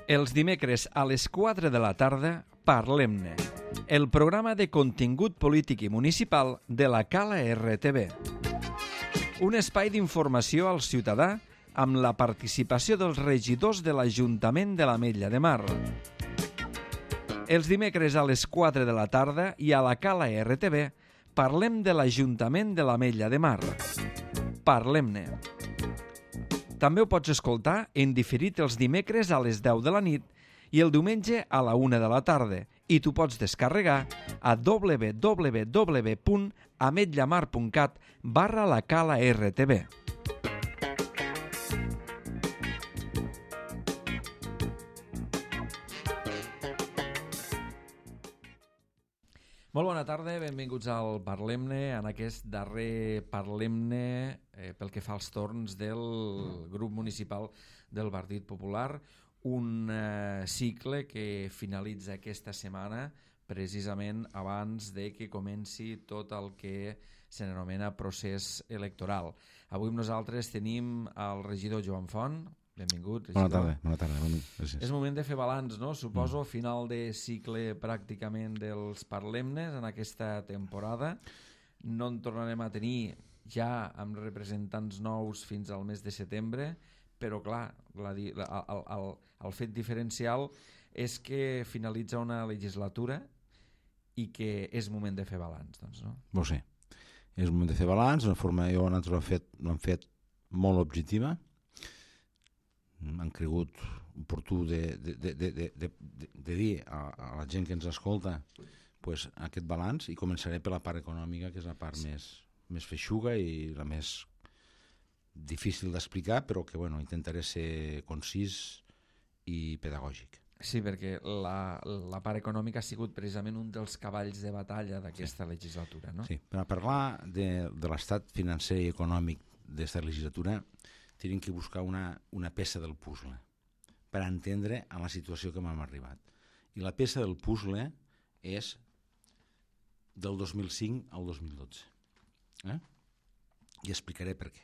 Els dimecres a les 4 de la tarda, Parlem-ne, el programa de contingut polític i municipal de la Cala RTV. Un espai d'informació al ciutadà amb la participació dels regidors de l'Ajuntament de l'Ametlla de Mar. Els dimecres a les 4 de la tarda i a la Cala RTV parlem de l'Ajuntament de l'Ametlla de Mar. Parlem-ne. També ho pots escoltar en diferit els dimecres a les 10 de la nit i el diumenge a la 1 de la tarda i t'ho pots descarregar a www.ametllamar.cat/la-cala-rtv. Molt bona tarda, benvinguts al Parlem-ne, en aquest darrer Parlem-ne pel que fa als torns del grup municipal del Partit Popular, un cicle que finalitza aquesta setmana precisament abans de que comenci tot el que se n'anomena procés electoral. Avui amb nosaltres tenim el regidor Joan Font. Benvingut, regidor. Bona tarda. Gràcies. És moment de fer balanç, no? Suposo, final de cicle pràcticament dels Parlem-nes en aquesta temporada. No en tornarem a tenir ja amb representants nous fins al mes de setembre, però clar, el fet diferencial és que finalitza una legislatura i que és moment de fer balanç, doncs, no? Ho sé. És moment de fer balanç, d'una forma nosaltres l'hem fet molt objectiva. Han cregut oportú de dir a la gent que ens escolta pues, aquest balanç, i començaré per la part econòmica, que és la part més feixuga i la més difícil d'explicar, però que intentaré ser concís i pedagògic. Sí, perquè la part econòmica ha sigut precisament un dels cavalls de batalla d'aquesta legislatura, no? Sí, per parlar de l'estat financer i econòmic d'aquesta legislatura tenim que buscar una peça del puzzle per entendre a la situació que hem arribat. I la peça del puzzle és del 2005 al 2012. I explicaré per què.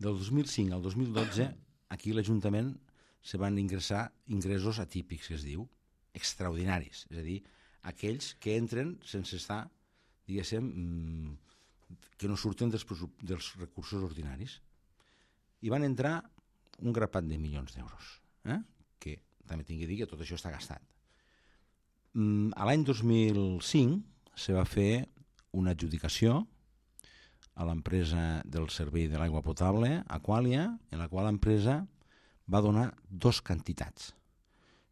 Del 2005 al 2012, aquí a l'Ajuntament se van ingressar ingressos atípics, que es diu, extraordinaris. És a dir, aquells que entren sense estar, diguéssim, que no surten dels recursos ordinaris. I van entrar un grapat de milions d'euros, que també tinc que dir que tot això està gastat. A l'any 2005 se va fer una adjudicació a l'empresa del servei de l'aigua potable, Aqualia, en la qual l'empresa va donar dues quantitats.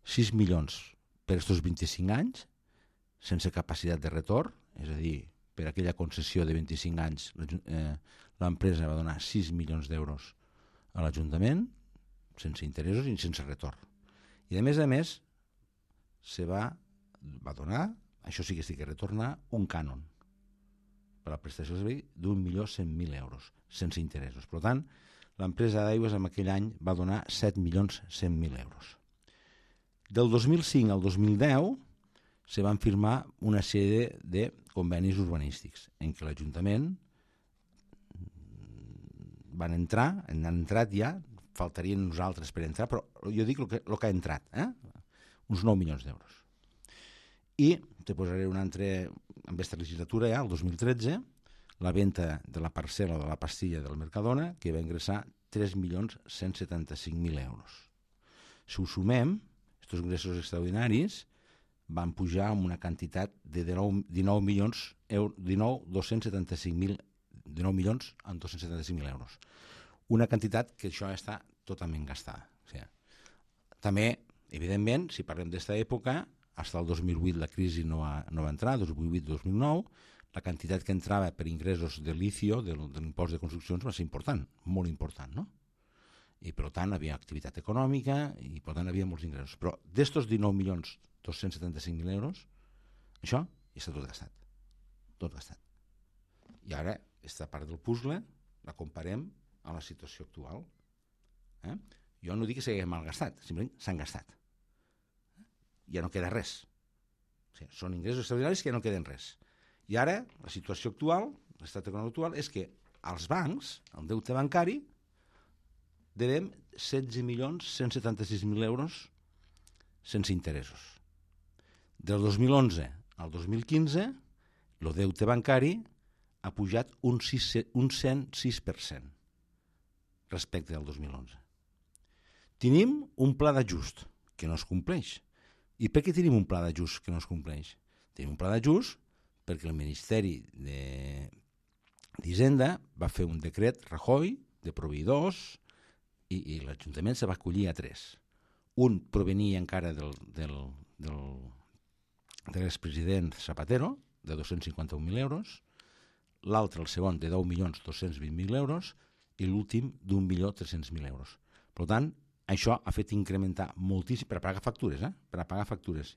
6 milions per aquests 25 anys, sense capacitat de retorn, és a dir, per aquella concessió de 25 anys l'empresa va donar 6 milions d'euros a l'Ajuntament, sense interessos i sense retorn. I a més, se va donar, això sí que sí que retornar, un cànon per a la prestació de servei d'1.100.000 euros, sense interessos. Per tant, l'empresa d'aigües en aquell any va donar 7.100.000 euros. Del 2005 al 2010 se van firmar una sèrie de convenis urbanístics en què l'Ajuntament han entrat ja, faltarien nosaltres per entrar, però jo dic el que ha entrat, uns 9 milions d'euros. I te posaré un altre, en aquesta legislatura ja, el 2013, la venda de la parcel·la de la pastilla del Mercadona, que va ingressar 3.175.000 euros. Si ho sumem, aquests ingressos extraordinaris van pujar amb una quantitat de 19 milions amb 275.000 euros. Una quantitat que això està totalment gastada. O sigui, també, evidentment, si parlem d'esta època, fins al 2008 la crisi no va entrar, 2008-2009, la quantitat que entrava per ingressos de licio, de l'impost de construccions, va ser important, molt important, no? I per tant havia activitat econòmica i per tant havia molts ingressos. Però d'estos 19.275.000 euros, això ja està tot gastat. Tot gastat. I ara, aquesta part del puzzle la comparem a la situació actual. Jo no dic que s'hagi malgastat, simplement s'han gastat. Ja no queda res. O sigui, són ingressos extraordinaris que ja no queden res. I ara, la situació actual, l'estat econòmic actual, és que als bancs, el deute bancari, devem 16.176.000 euros sense interessos. Del 2011 al 2015, el deute bancari ha pujat un 106% respecte al 2011. Tenim un pla d'ajust que no es compleix. I per què tenim un pla d'ajust que no es compleix? Tenim un pla d'ajust perquè el Ministeri d'Hisenda va fer un decret Rajoy de proveïdors i l'Ajuntament se va acollir a 3. Un provenia encara de l'expresident Zapatero, de 251.000 euros, l'altre, el segon, de 10.220.000 euros i l'últim d'1.300.000 euros. Per tant, això ha fet incrementar moltíssim per a pagar factures, per a pagar factures.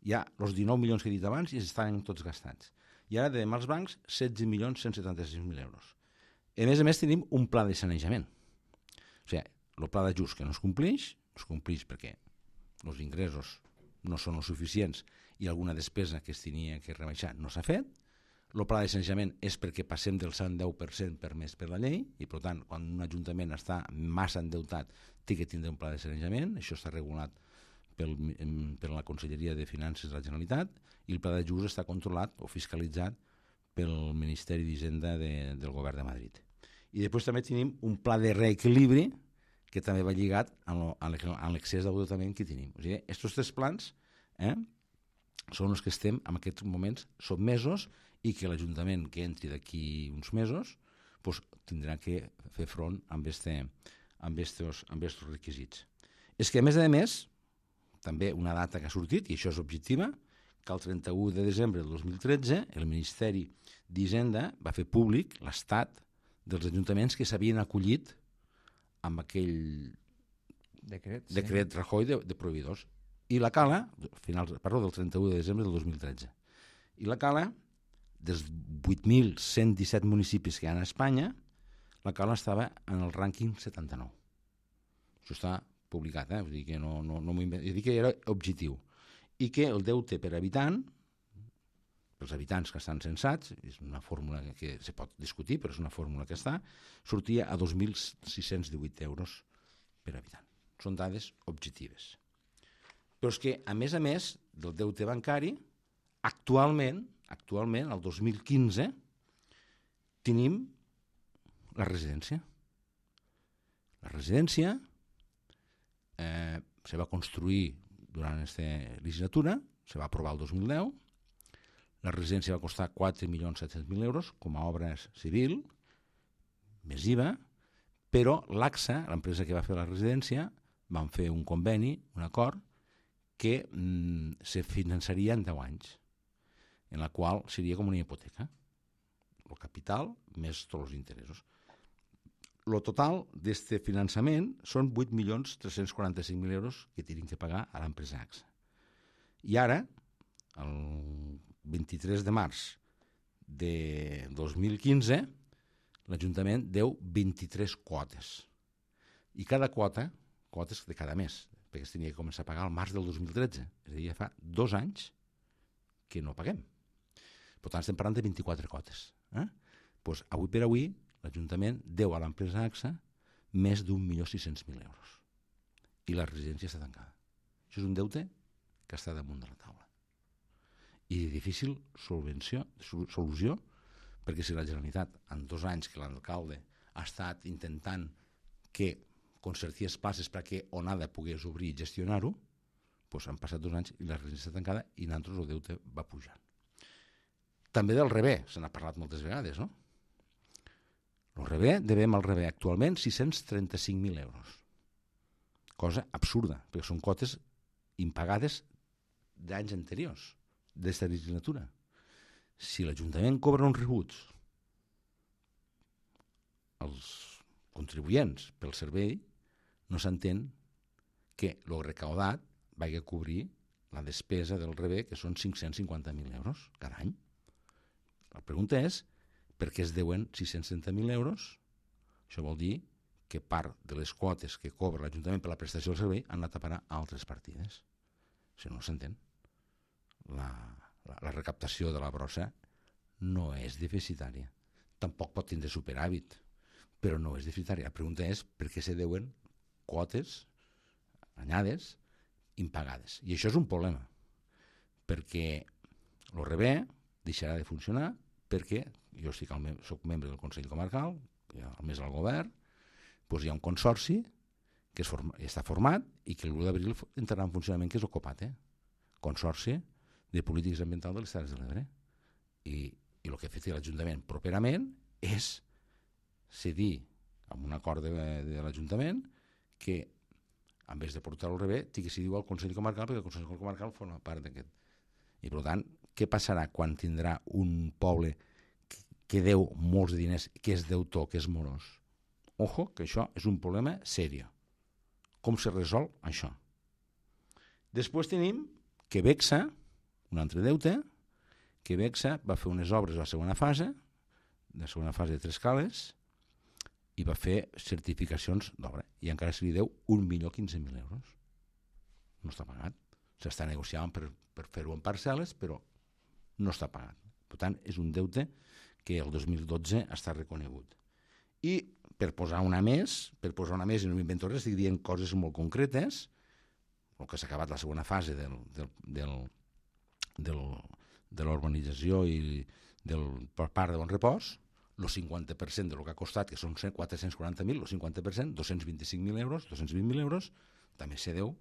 Ja els 19 milions que he dit abans ja estan tots gastats. I ara devem als bancs 16.176.000 euros. A més tenim un pla de sanejament. O sigui, el pla d'ajust que no es compleix perquè els ingressos no són els suficients i alguna despesa que es tenia que rebaixar no s'ha fet. El pla de sanejament és perquè passem del 110% permès per la llei i, per tant, quan un ajuntament està massa endeutat té que tindre un pla de sanejament. Això està regulat per la Conselleria de Finances de la Generalitat i el pla d'ajust està controlat o fiscalitzat pel Ministeri d'Hisenda del Govern de Madrid. I després també tenim un pla de reequilibri que també va lligat a l'excés d'endeutament que tenim. O sigui, aquests 3 plans són els que estem en aquests moments sotmesos i que l'Ajuntament que entri d'aquí uns mesos tindrà que fer front amb aquests requisits. És que, a més, també una data que ha sortit, i això és objectiva, que el 31 de desembre del 2013 el Ministeri d'Hisenda va fer públic l'estat dels ajuntaments que s'havien acollit amb aquell decret Rajoy de proveïdors. I la Cala, del 31 de desembre del 2013. I la Cala, dels 8.117 municipis que hi ha a Espanya, la Cala estava en el rànquing 79. Això està publicat, vull dir que no m'ho invento. Vull dir que era objectiu. I que el deute per habitant, pels habitants que estan censats, és una fórmula que se pot discutir, però és una fórmula que està, sortia a 2.618 euros per habitant. Són dades objectives. Però és que, a més del deute bancari, actualment, el 2015, tenim la residència. La residència se va construir durant aquesta legislatura, se va aprovar el 2010, la residència va costar 4.700.000 euros com a obra civil, més IVA, però l'AXA, l'empresa que va fer la residència, van fer un conveni, un acord, que se finançaria en 10 anys, en la qual seria com una hipoteca. El capital més tots els interessos. El total d'aquest finançament són 8.345.000 euros que tenen que pagar a l'empresa AXA. I ara, el 23 de març de 2015, l'Ajuntament deu 23 quotes. I cada quota, quotes de cada mes, perquè es tenia que començar a pagar al març del 2013. És a dir, ja fa 2 anys que no paguem. Per tant, estem parlant de 24 quotes. Doncs, avui per avui, l'Ajuntament deu a l'empresa AXA més d'1.600.000 euros. I la residència està tancada. Això és un deute que està damunt de la taula. I de difícil solució, perquè si la Generalitat, en 2 anys que l'alcalde ha estat intentant que concertés places perquè Onada pogués obrir i gestionar-ho, doncs han passat 2 anys i la residència està tancada i nosaltres el deute va pujant. També del Rebé, se n'ha parlat moltes vegades, no? El Rebé, devem al Rebé actualment 635.000 euros. Cosa absurda, perquè són quotes impagades d'anys anteriors, d'esta legislatura. Si l'Ajuntament cobra uns rebuts als contribuents pel servei, no s'entén que el recaudat vagi a cobrir la despesa del Rebé, que són 550.000 euros cada any. La pregunta és, per què es deuen 630.000 euros? Això vol dir que part de les quotes que cobra l'Ajuntament per la prestació del servei han anat a parar a altres partides. Això no s'entén. La recaptació de la brossa no és deficitària. Tampoc pot tindre superàvit, però no és deficitària. La pregunta és per què se deuen quotes anyades impagades. I això és un problema, perquè l'ORB deixarà de funcionar perquè jo soc membre del Consell Comarcal, a més al govern, doncs hi ha un consorci que està format i que l'1 d'abril entrarà en funcionament, que és el COPATE, Consorci de Polítiques Ambientals de les Terres de l'Ebre. I el que ha fet l'Ajuntament properament és cedir amb un acord de l'Ajuntament que en vez de portar-ho al revés, tingui que decidir al Consell Comarcal, perquè el Consell Comarcal forma part d'aquest. I per tant, què passarà quan tindrà un poble que deu molts diners, que és deutor, que és morós? Ojo, que això és un problema serio. Com se resol això? Després tenim que Bexa, un altre deute, que Bexa va fer unes obres a la segona fase de 3 cales, i va fer certificacions d'obra, i encara se li deu 1.015.000 euros. No està pagat. S'està negociant per fer-ho en parcel·les, però no està pagat. Per tant, és un deute que el 2012 està reconegut. I per posar una més, i no m'invento res, estic dient coses molt concretes, el que s'ha acabat la segona fase de l'urbanització i per part de Bon Repòs, el 50% del que ha costat, que són 440.000, el 50%, 225.000 euros, 220.000 euros, també se deu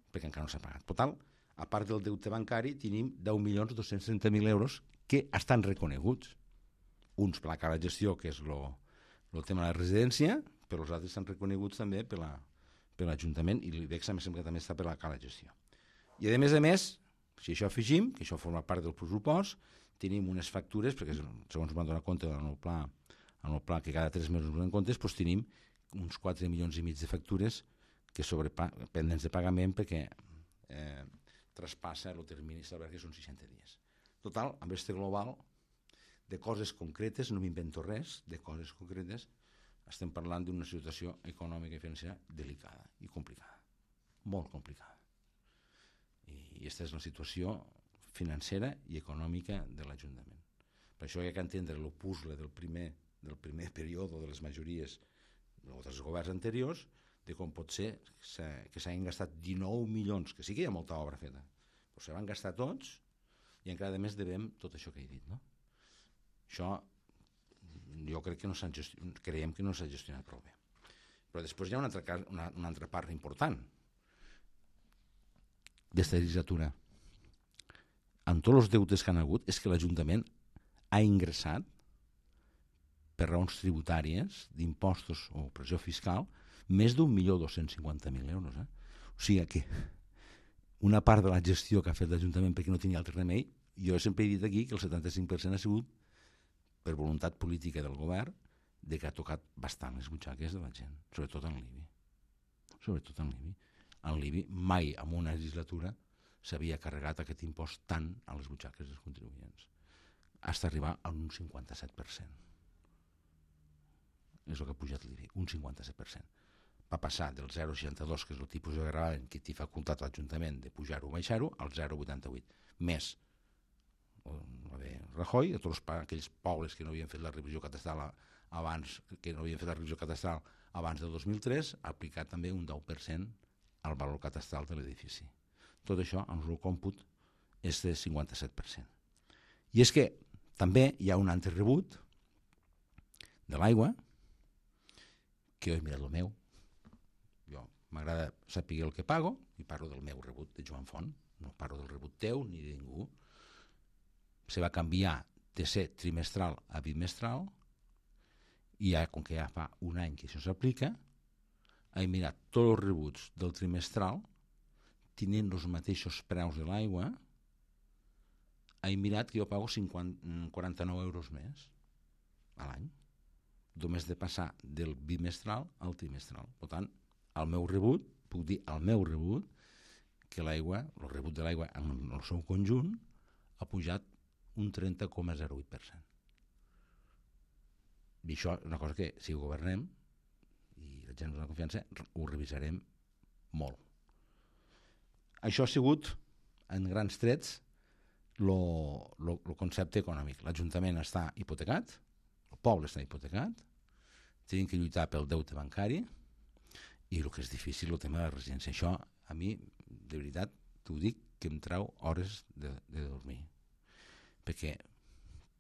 perquè encara no s'ha pagat. Per tant, a part del deute bancari, tenim 10.230.000 euros que estan reconeguts. Uns per la cara de gestió, que és el tema de la residència, però els altres estan reconeguts també per l'Ajuntament, i l'IBEX em sembla que també està per la cara de gestió. I a més, si això afegim, que això forma part del pressupost, tenim unes factures, perquè segons m'han donat compte en el pla que cada 3 mesos ens donen comptes, doncs tenim uns 4,5 milions de factures que pendents de pagament perquè traspassa el termini establert, que són 60 dies. Total, amb aquest global de coses concretes, no m'invento res, de coses concretes, estem parlant d'una situació econòmica i financera delicada i complicada, molt complicada. I aquesta és la situació financera i econòmica de l'Ajuntament. Per això hi ha que entendre el puzzle del primer període de les majories o dels governs anteriors, de com pot ser que s'hagin gastat 19 milions, que sí que hi ha molta obra feta, però se van gastar tots i encara a més devem tot això que he dit. No? Això jo crec que creiem que no s'ha gestionat prou bé. Però després hi ha una altra part important d'esta legislatura. Amb tots els deutes que han hagut, és que l'Ajuntament ha ingressat per raons tributàries, d'impostos o pressió fiscal, més d'1.250.000 euros. O sigui que una part de la gestió que ha fet l'Ajuntament perquè no tenia altre remei, jo sempre he dit aquí que el 75% ha sigut per voluntat política del govern, de que ha tocat bastant les butxaques de la gent, sobretot en l'IBI. En l'IBI mai en una legislatura s'havia carregat aquest impost tant a les butxaques dels contribuents. Fins a arribar a un 57%. És el que ha pujat l'IBI, un 57%. Va passar del 0,62, que és el tipus de gravamen que té facultat l'Ajuntament de pujar-ho o baixar-ho, al 0,88. Més Rajoy, a tots aquells pobles que no havien fet la revisió catastral abans del 2003, ha aplicat també un 10% al valor catastral de l'edifici. Tot això, en el còmput, és de 57%. I és que també hi ha un altre rebut de l'aigua, que jo he mirat el meu. Jo m'agrada saber el que pago i parlo del meu rebut de Joan Font, no parlo del rebut teu ni de ningú. Se va canviar de ser trimestral a bimestral i com que ja fa un any que això s'aplica, he mirat tots els rebuts del trimestral tenint els mateixos preus de l'aigua, he mirat que jo pago 49 euros més a l'any, només de passar del bimestral al trimestral. Per tant, el meu rebut, puc dir el meu rebut, que l'aigua, el rebut de l'aigua en el seu conjunt, ha pujat un 30,08%. I això és una cosa que, si governem, i la gent ens dona confiança, ho revisarem molt. Això ha sigut, en grans trets, el concepte econòmic. L'Ajuntament està hipotecat, el poble està hipotecat, tenim que lluitar pel deute bancari i el que és difícil, el tema de la residència. Això a mi, de veritat, t'ho dic, que em trau hores de dormir. Perquè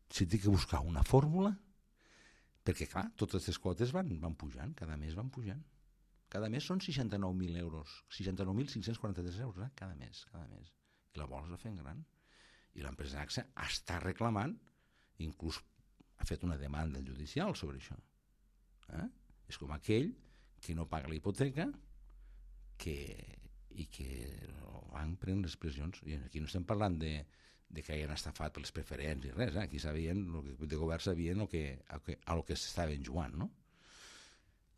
si tinc que buscar una fórmula, perquè clar, totes les quotes van pujant, cada mes van pujant. Cada mes són 69.000 euros, 69.543 euros, cada mes. I la bola es va fent gran. I l'empresa AXA està reclamant, inclús ha fet una demanda judicial sobre això. És com aquell que no paga la hipoteca i que el banc pren les pressions. I aquí no estem parlant de que hagin estafat per les preferents i res, aquí sabien, de govern sabien a lo que s'estaven jugant, no?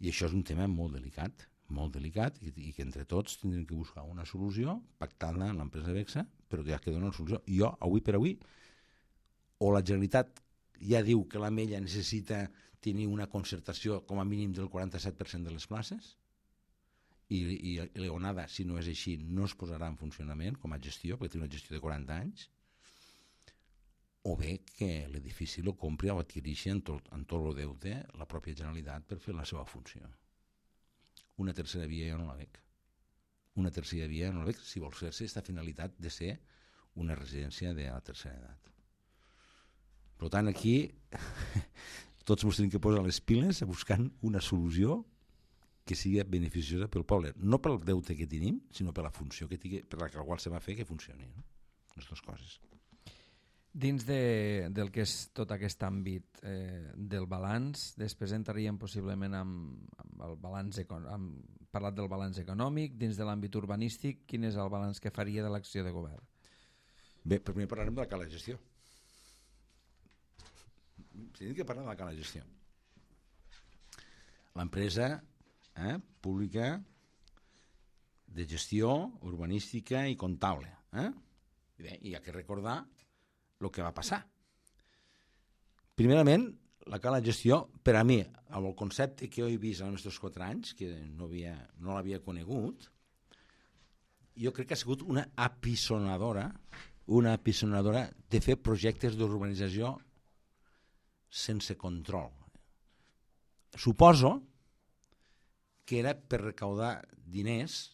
I això és un tema molt delicat i que entre tots tindrem que buscar una solució pactant-la amb l'empresa Bexa, però que ja queda una solució. Jo, avui per avui, o la Generalitat ja diu que l'Ametlla necessita tenir una concertació com a mínim del 47% de les places, i l'Eonada, si no és així, no es posarà en funcionament com a gestió, perquè té una gestió de 40 anys, o bé que l'edifici lo compri o adquireixi en tot el deute la pròpia Generalitat per fer la seva funció. Una tercera via jo no la veig. Si vol fer-se aquesta finalitat de ser una residència de la tercera edat. Per tant, aquí tots ens tenim que posar les piles buscant una solució que sigui beneficiosa pel poble, no pel deute que tenim, sinó per la funció que tingui, per la qual se va fer que funcioni, no? Les dues coses. Dins del que és tot aquest àmbit del balanç, després entraríem possiblement amb el balanç parlat del balanç econòmic. Dins de l'àmbit urbanístic, quin és el balanç que faria de l'acció de govern? Bé, primer parlarem de la cala de gestió. Tenim que parlar de la cala de gestió. L'empresa pública de gestió urbanística i comptable. Bé, i hi ha que recordar el que va passar. Primerament, la cala de gestió, per a mi, amb el concepte que he vist en els meus 4 anys, que no l'havia conegut, jo crec que ha sigut una apisonadora de fer projectes d'urbanització sense control. Suposo que era per recaudar diners,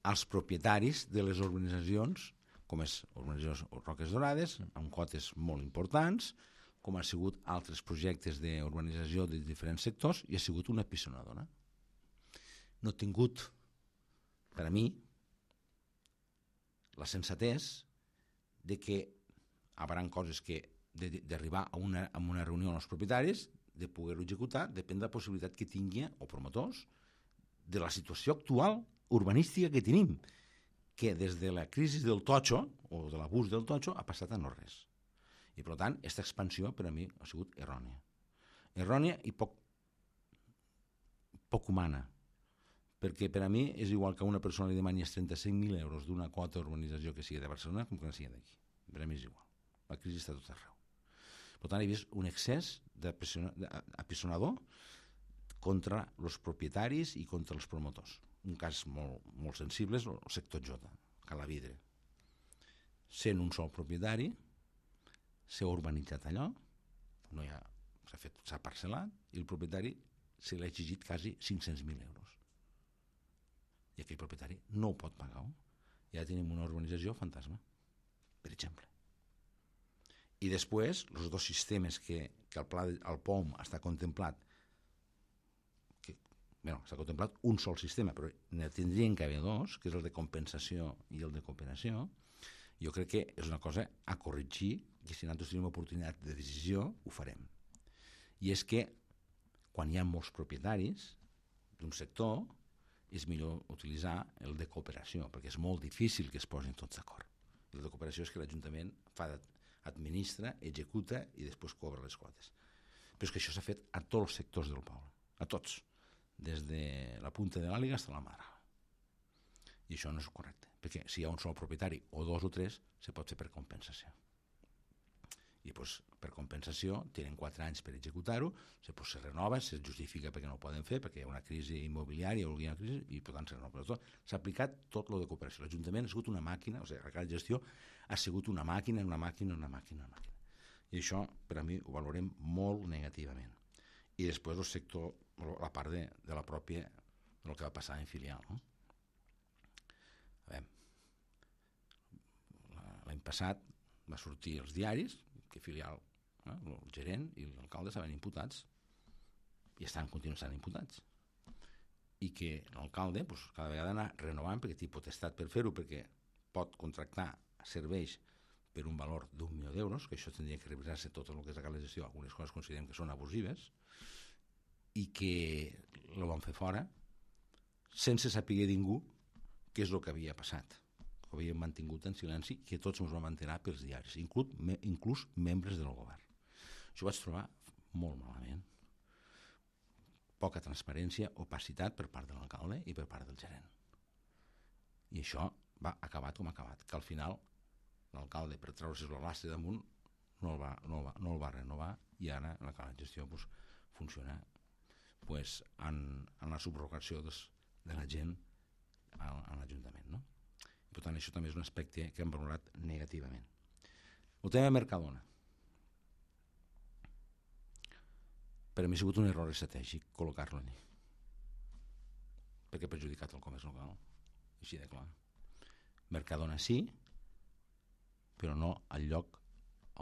als propietaris de les urbanitzacions, com és l'urbanització Roques Dorades, amb quotes molt importants, com ha sigut altres projectes d'urbanització de diferents sectors, i ha sigut una apisonadora. No he tingut, per a mi, la sensatès de que hi haurà coses que d'arribar a una reunió amb els propietaris, de poder-ho executar, depèn de la possibilitat que tingui, o promotors, de la situació actual urbanística que tenim, que des de la crisi del totxo, o de l'abús del totxo, ha passat a no res. I per tant, aquesta expansió per a mi ha sigut errònia. Errònia i poc humana, perquè per a mi és igual que una persona li demani 35.000 euros d'una quota d'urbanització que sigui de Barcelona com que no sigui d'aquí. Per a mi és igual. La crisi està tot arreu. Per tant, he vist un excés d'apisonador contra els propietaris i contra els promotors. Un cas molt sensible és el sector Jota, Calavidre. Sent un sol propietari, s'ha urbanitzat allò, s'ha parcel·lat, i el propietari se l'ha exigit quasi 500.000 euros. I aquell propietari no ho pot pagar. I ara tenim una urbanització fantasma, per exemple. I després, els dos sistemes que el POM està contemplat, s'ha contemplat un sol sistema, però ne tindrien que haver dos, que és el de compensació i el de cooperació. Jo crec que és una cosa a corregir, i si nosaltres tenim oportunitat de decisió, ho farem. I és que, quan hi ha molts propietaris d'un sector, és millor utilitzar el de cooperació, perquè és molt difícil que es posin tots d'acord. El de cooperació és que l'Ajuntament administra, executa i després cobra les quotes. Però és que això s'ha fet a tots els sectors del poble, a tots, des de la punta de l'àliga fins a la mar. I això no és correcte, perquè si hi ha un sol propietari o dos o tres, se pot fer per compensació. I per compensació tenen 4 anys per executar-ho, se renova, se justifica perquè no ho poden fer, perquè hi ha una crisi immobiliària o hi ha una crisi, i per tant se renova. S'ha aplicat tot lo de cooperació. L'Ajuntament ha sigut una màquina, o sigui, la gestió ha sigut una màquina. I això, per a mi, ho valorem molt negativament. I després el sector, la part de la pròpia el que va passar en filial. No? A veure, l'any passat va sortir als diaris que filial, el gerent i l'alcalde estaven imputats i continuen estant imputats. I que l'alcalde cada vegada anar renovant perquè té potestat per fer-ho, perquè pot contractar serveis per un valor d'1.000.000 d'euros, que això tindria que revisar-se tot el que és la gestió, algunes coses considerem que són abusives, i que el van fer fora sense saber ningú què és el que havia passat, que ho havien mantingut en silenci, que tots ens vam enterar pels diaris, inclús membres del govern. Això ho vaig trobar molt malament. Poca transparència, opacitat per part de l'alcalde i per part del gerent. I això va acabat com ha acabat, que al final l'alcalde, per treure's el lastre damunt, no el va renovar, i ara la gestió funciona en la subrogació de la gent a l'Ajuntament. No? Per tant, això també és un aspecte que hem valorat negativament. El tema de Mercadona. Per a mi ha sigut un error estratègic col·locar-lo allà, perquè ha perjudicat el comerç local, així de clar. Mercadona sí, però no al lloc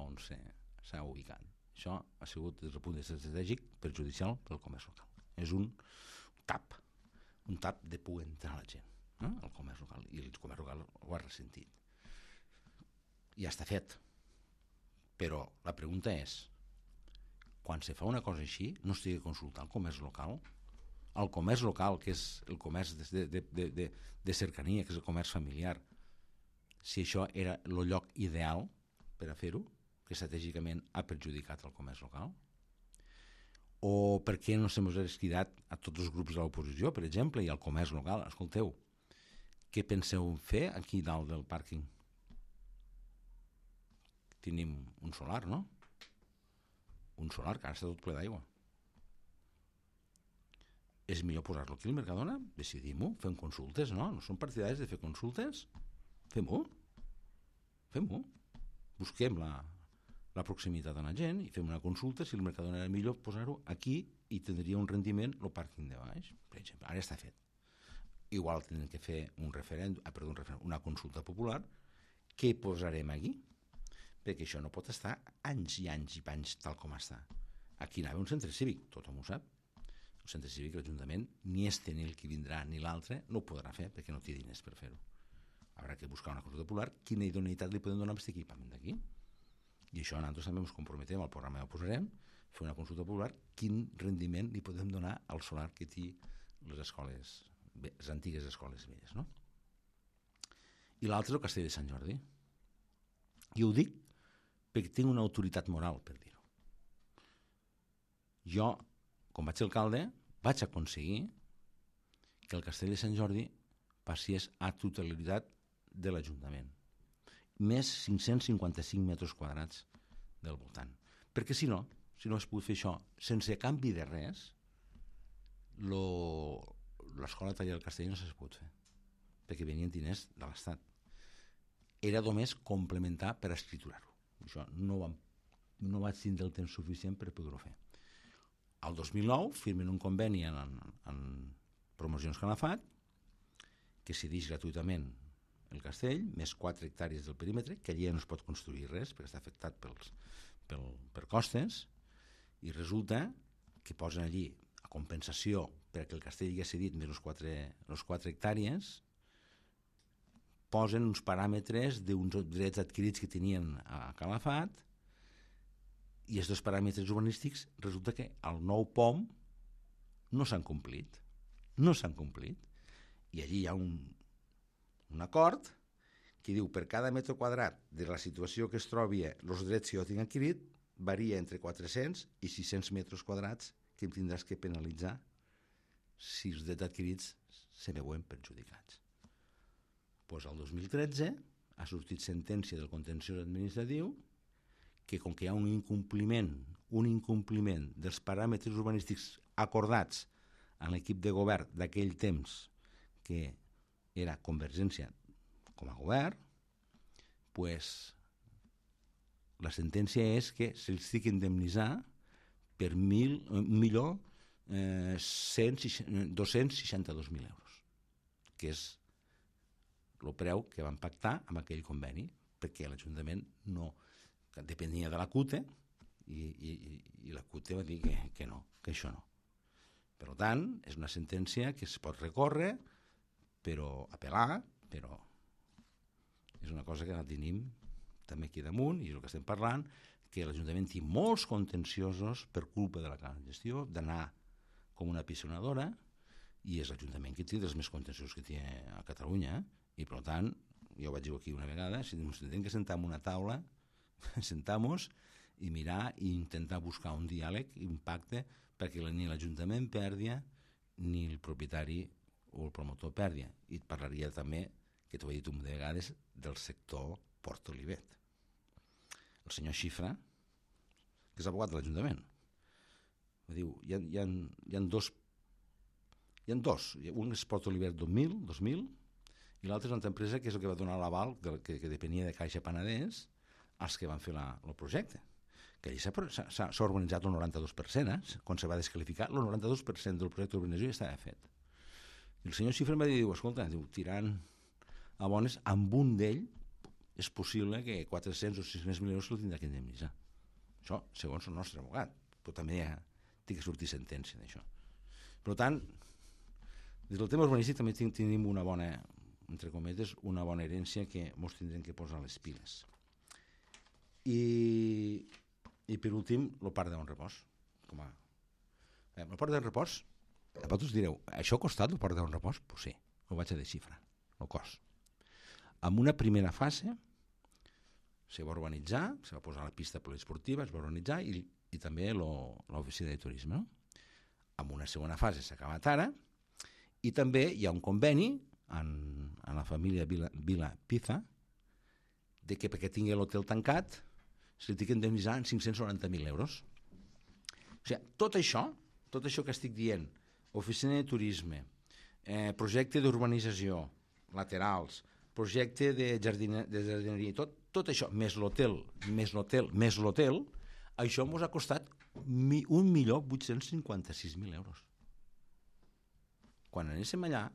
on s'ha ubicat. Això ha sigut, des del punt de vista estratègic, perjudicial pel comerç local. És un tap de poder entrar la gent al comerç local, i el comerç local ho ha ressentit. Ja està fet, però la pregunta és, quan se fa una cosa així, no estigui consultant el comerç local, que és el comerç de cercania, que és el comerç familiar, si això era el lloc ideal per a fer-ho, que estratègicament ha perjudicat el comerç local, o per què no s'hem cridat a tots els grups de l'oposició, per exemple, i al comerç local, escolteu, què penseu fer aquí dalt del pàrquing? Tenim un solar, no? Un solar que ara està tot ple d'aigua. És millor posar-lo aquí al Mercadona? Decidim-ho, fem consultes, no? No som partidaris de fer consultes? Fem-ho. Busquem la proximitat de la gent i fem una consulta si el Mercadona era millor posar-ho aquí i tindria un rendiment el pàrquing de baix, per exemple. Ara està fet. Igual tindrem que fer una consulta popular. Què posarem aquí? Perquè això no pot estar anys i anys i panys tal com està. Aquí anava un centre cívic, tothom ho sap. El centre cívic, l'Ajuntament, ni este ni el que vindrà ni l'altre no ho podrà fer perquè no té diners per fer-ho. Haurà que buscar una consulta popular, quina idoneïtat li podem donar a aquest equipament d'aquí. I això nosaltres també ens comprometem, al programa ho posarem, fer una consulta popular, quin rendiment li podem donar al solar que té les escoles, les antigues escoles velles, no? I l'altre és el Castell de Sant Jordi. I ho dic perquè tinc una autoritat moral per dir-ho. Jo, com vaig ser alcalde, vaig aconseguir que el Castell de Sant Jordi passés a totalitat de l'Ajuntament. Més 555 metres quadrats del voltant. Perquè si no has pogut fer això sense canvi de res, l'escola de taller del Castell no s'ha pogut fer, perquè venien diners de l'Estat. Era només complementar per escriturar-ho. Això no vaig tindre el temps suficient per poder-ho fer. Al 2009 firmen un conveni en Promocions Calafat que cedeix gratuïtament el castell, més 4 hectàrees del perímetre, que allà no es pot construir res perquè està afectat per costes, i resulta que posen allí a compensació perquè el castell hi ha cedit més les 4 hectàrees, posen uns paràmetres d'uns drets adquirits que tenien a Calafat, i aquests paràmetres urbanístics resulta que al nou POM no s'han complit. I allí hi ha un acord que diu per cada metre quadrat de la situació que es trobi, els drets que jo tinc adquirit varia entre 400 i 600 metres quadrats que em tindràs que penalitzar si els drets adquirits se veuen perjudicats. Doncs el 2013 ha sortit sentència del contenciós administratiu que com que hi ha un incompliment dels paràmetres urbanístics acordats en l'equip de govern d'aquell temps, que era Convergència com a govern, doncs la sentència és que se'ls té que indemnitzar per 1.200.000 262.000 euros, que és el preu que van pactar amb aquell conveni, perquè l'Ajuntament no depenia de la CUTE i la CUTE va dir que no, que això no. Per tant, és una sentència que es pot recórrer, però apel·lar, però és una cosa que la tenim també aquí damunt, i és el que estem parlant, que l'Ajuntament té molts contenciosos per culpa de la gestió, d'anar com una pisonadora, i és l'Ajuntament que té dels més contenciosos que té a Catalunya, i per tant, jo ho vaig dir aquí una vegada, si ens hem de sentar en una taula, sentar-nos i mirar i intentar buscar un diàleg, un pacte, perquè ni l'Ajuntament pèrdia ni el propietari o el promotor pèrdia. I et parlaria també, que t'ho he dit un de vegades, del sector Port Olivet. El senyor Xifra, que és abogat de l'Ajuntament, diu, hi ha dos, un és Port Olivet 2000, i l'altre és una altra empresa que és el que va donar l'aval, que depenia de Caixa Penedès, als que van fer el projecte. Que allà s'ha urbanitzat el 92%, quan se va desqualificar, el 92% del projecte d'urbanització ja estava fet. I el senyor Xifra em va dir, escolta, tirant a bones, amb un d'ell és possible que 400 o 600.000 euros el tindrà que indemnitzar. Això, segons el nostre abogat, però també té que sortir sentència d'això. Per tant, des del tema urbanístic també tenim una bona, entre cometes, una bona herència que ens tindrem que posar les piles. I per últim, el parc de Bon Repòs. El parc de Bon Repòs, vosaltres direu, això ha costat el parc de Bon Repòs? Pues sí, ho vaig a desxifrar, el cost. En una primera fase se va urbanitzar, se va posar la pista poliesportiva, es va urbanitzar i també l'oficina de turisme. En una segona fase s'ha acabat ara i també hi ha un conveni en la família Vila Piza de que perquè tingui l'hotel tancat se li té que indemnitzar en 590.000 euros. O sigui, tot això que estic dient, oficina de turisme, projecte d'urbanització, laterals, projecte de jardineria, tot això, més l'hotel, això ens ha costat 1.856.000 euros. Quan anéssim allà,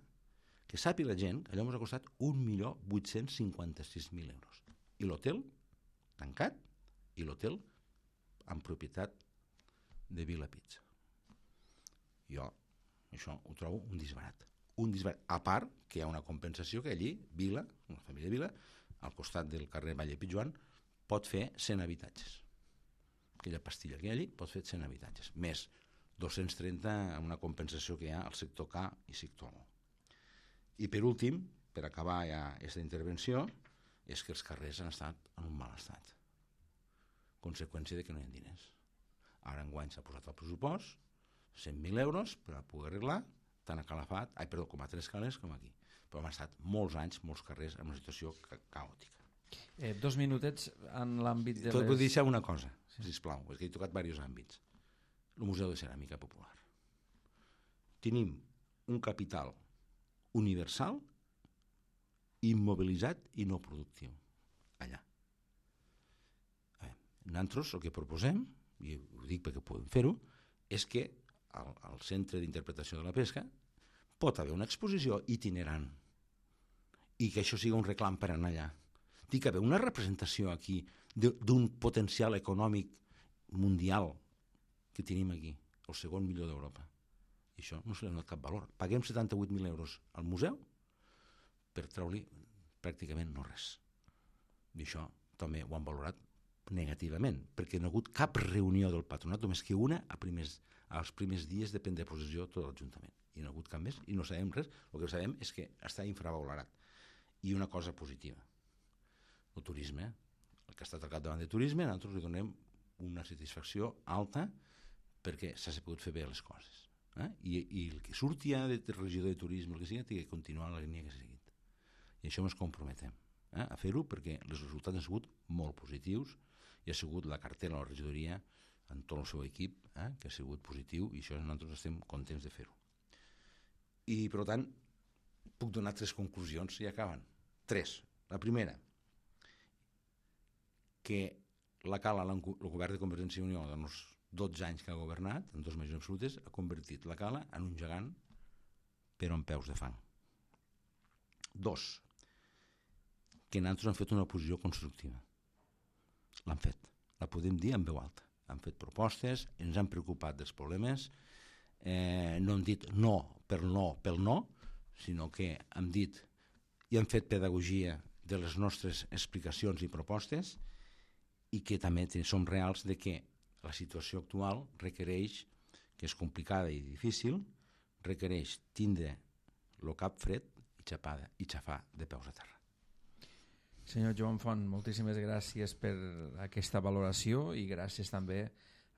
que sàpiga la gent, allò ens ha costat 1.856.000 euros. I l'hotel tancat, i l'hotel en propietat de Vila Pizza. Jo això ho trobo un disbarat. A part que hi ha una compensació que allí Vila, la família Vila, al costat del carrer Valle Pitjoan, pot fer 100 habitatges. Aquella pastilla que hi ha allí pot fer 100 habitatges, més 230 amb una compensació que hi ha al sector K i sector O. I per últim, per acabar ja aquesta intervenció, és que els carrers han estat en un mal estat. Conseqüència de que no hi ha diners. Ara enguany s'ha posat al pressupost 100.000 euros per a poder arreglar tant a Calafat, com a Tres Cales com aquí. Però han estat molts anys, molts carrers en una situació caòtica. 2 minutets en l'àmbit de les... Vull deixar una cosa, sisplau, és que he tocat diversos àmbits. El Museu de Ceràmica Popular. Tenim un capital universal, immobilitzat i no productiu allà. Nosaltres el que proposem, i ho dic perquè podem fer-ho, és que al Centre d'Interpretació de la Pesca pot haver una exposició itinerant i que això sigui un reclam per anar allà. Té que haver una representació aquí d'un potencial econòmic mundial que tenim aquí, el segon millor d'Europa. I això no se li ha donat cap valor. Paguem 78.000 euros al museu per treure-li pràcticament no res. I això també ho han valorat negativament, perquè no ha hagut cap reunió del patronat, només que una als primers dies de prendre possessió tot l'Ajuntament. I no ha hagut cap més, i no sabem res. El que sabem és que està infravalorat. I una cosa positiva, el turisme, el que ha estat al capdavant de turisme, nosaltres li donem una satisfacció alta perquè s'ha pogut fer bé les coses. I el que surti de regidor de turisme, el que sigui, té que continuar la línia que s'ha seguit. I això ens comprometem a fer-ho perquè els resultats han sigut molt positius i ha sigut la cartera de la regidoria en tot el seu equip, que ha sigut positiu, i això nosaltres estem contents de fer-ho. I, per tant, puc donar 3 conclusions i acaben. 3. La primera, que la Cala, el govern de Convergència i Unió, 12 anys que ha governat, en 2 majories absolutes, ha convertit la Cala en un gegant però amb peus de fang. 2. Que nosaltres hem fet una oposició constructiva. L'han fet. La podem dir en veu alta. Han fet propostes, ens han preocupat dels problemes, no hem dit no pel no, sinó que hem dit i hem fet pedagogia de les nostres explicacions i propostes i que també som reals de que la situació actual requereix, que és complicada i difícil, requereix tindre el cap fred i xafar de peus a terra. Senyor Joan Font, moltíssimes gràcies per aquesta valoració i gràcies també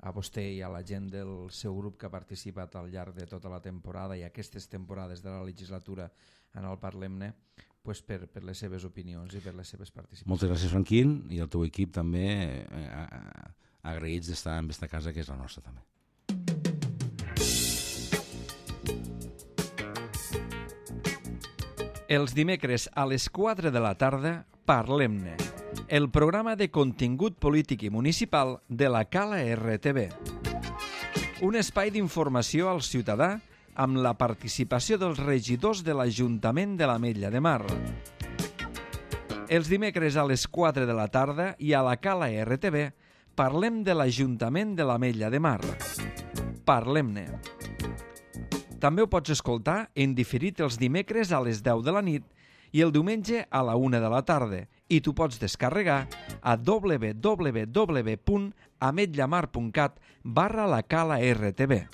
a vostè i a la gent del seu grup que ha participat al llarg de tota la temporada i aquestes temporades de la legislatura en el Parlem-ne per les seves opinions i per les seves participacions. Moltes gràcies, Franquín, i el teu equip també agraïts d'estar en aquesta casa que és la nostra també. Els dimecres a les 4 de la tarda, Parlem-ne, el programa de contingut polític i municipal de la Cala RTV. Un espai d'informació al ciutadà amb la participació dels regidors de l'Ajuntament de l'Ametlla de Mar. Els dimecres a les 4 de la tarda i a la Cala RTV parlem de l'Ajuntament de l'Ametlla de Mar. Parlem-ne. També ho pots escoltar en diferit els dimecres a les 10 de la nit i el diumenge a la 1 de la tarda i tu pots descarregar a www.ametllamar.cat/la Cala RTV.